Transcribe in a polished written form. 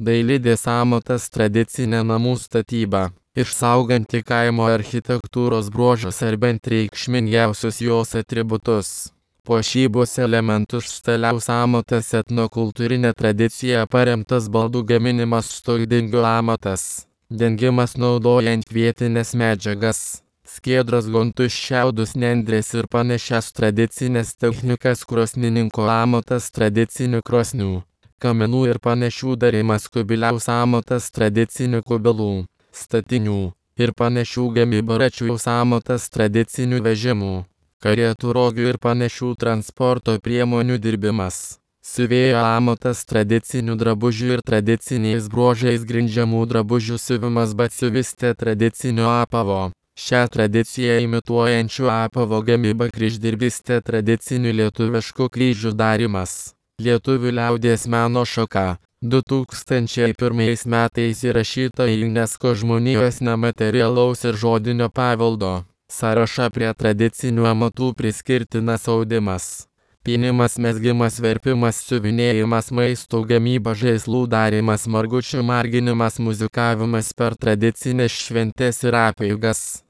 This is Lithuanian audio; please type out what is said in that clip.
Dailidės amatas tradicinė namų statyba, išsauganti kaimo architektūros bruožus ar bent reikšmingiausius jos atributus. Puošybos elementus stiliaus amatas etnokultūrinė tradicija paremtas baldų gaminimas stoidingių amatas. Dengimas naudojant vietines medžiagas. Skiedras gontus šiaudus nendrės ir panašias tradicinės technikas krosnininko amatas tradicinių krosnių. Kaminų ir panašių darimas kubiliaus amatas tradicinių kubilų, statinių ir panašių gamybų račiaus amatas tradicinių vežimų, karietų rogių ir panašių transporto priemonių dirbimas. Siuvėjo amatas tradicinių drabužių ir tradiciniais bruožais grindžiamų drabužių siuvimas batsiuvistė tradicinio apavo. Šią tradiciją imituojančių apavo gamyba kryždirbystė tradicinių lietuviškų kryžių darimas. Lietuvių liaudies meno šaka 2001 metais įrašyta į UNESCO žmonijos nematerialaus ir žodinio paveldo sąrašą. Prie tradicinių amatų priskirtinas audimas, pynimas, mezgimas, verpimas, siuvinėjimas, maisto gamyba, žaislų darimas, margučių marginimas, muzikavimas per tradicinės šventes ir apeigas.